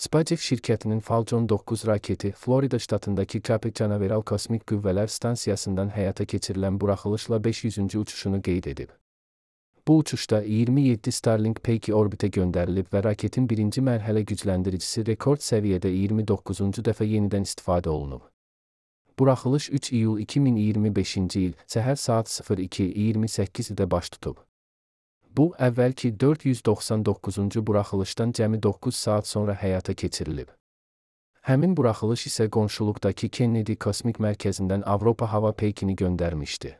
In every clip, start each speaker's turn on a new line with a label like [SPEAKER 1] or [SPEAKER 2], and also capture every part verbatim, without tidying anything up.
[SPEAKER 1] SpaceX şirkətinin Falcon doqquz raketi Florida ştatındakı Cape Canaveral Kosmik Qüvvələr Stansiyasından həyata keçirilən buraxılışla beş yüzüncü uçuşunu qeyd edib. Bu uçuşda iyirmi yeddi Starlink peyki orbitə göndərilib və raketin birinci mərhələ gücləndiricisi rekord səviyyədə iyirmi doqquzuncu dəfə yenidən istifadə olunub. Buraxılış üç iyul iki min iyirmi beşinci il səhər saat sıfır iki iyirmi səkkizdə baş tutub. Bu, əvvəlki dörd yüz doxsan doqquzuncu buraxılışdan cəmi doqquz saat sonra həyata keçirilib. Həmin buraxılış isə qonşuluqdakı Kennedy Kosmik Mərkəzindən Avropa hava peykini göndərmişdi.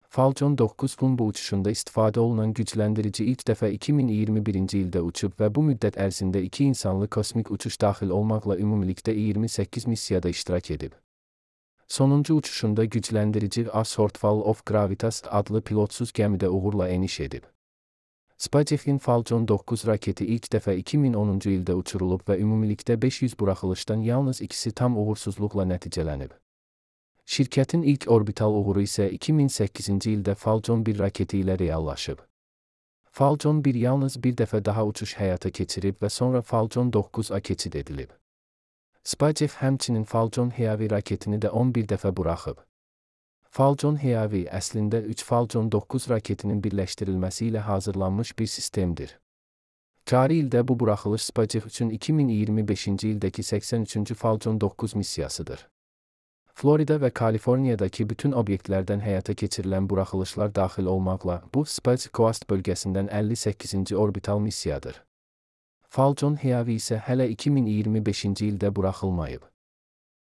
[SPEAKER 1] Falcon doqquzun bu uçuşunda istifadə olunan gücləndirici ilk dəfə iki min iyirmi birinci ildə uçub və bu müddət ərzində iki insanlı kosmik uçuş daxil olmaqla ümumilikdə iyirmi səkkiz missiyada iştirak edib. Sonuncu uçuşunda gücləndirici A Shortfall of Gravitas adlı pilotsuz gəmidə uğurla eniş edib. SpaceX'in Falcon doqquz raketi ilk dəfə iki min onuncu ildə uçurulub və ümumilikdə beş yüz buraxılışdan yalnız ikisi tam uğursuzluqla nəticələnib. Şirkətin ilk orbital uğuru isə iki min səkkizinci ildə Falcon bir raketi ilə reallaşıb. Falcon bir yalnız bir dəfə daha uçuş həyata keçirib və sonra Falcon doqquz A keçid edilib. SpaceX həmçinin Falcon Heavy raketini də on bir dəfə buraxıb. Falcon Heavy əslində üç Falcon doqquz raketinin birləşdirilməsi ilə hazırlanmış bir sistemdir. Cari ildə bu buraxılış SpaceX üçün iki min iyirmi beşinci ildəki səksən üçüncü Falcon doqquz missiyasıdır. Florida və Kaliforniyadakı bütün obyektlərdən həyata keçirilən buraxılışlar daxil olmaqla, bu Space Coast bölgəsindən əlli səkkizinci orbital missiyadır. Falcon Heavy isə hələ iki min iyirmi beşinci ildə buraxılmayıb.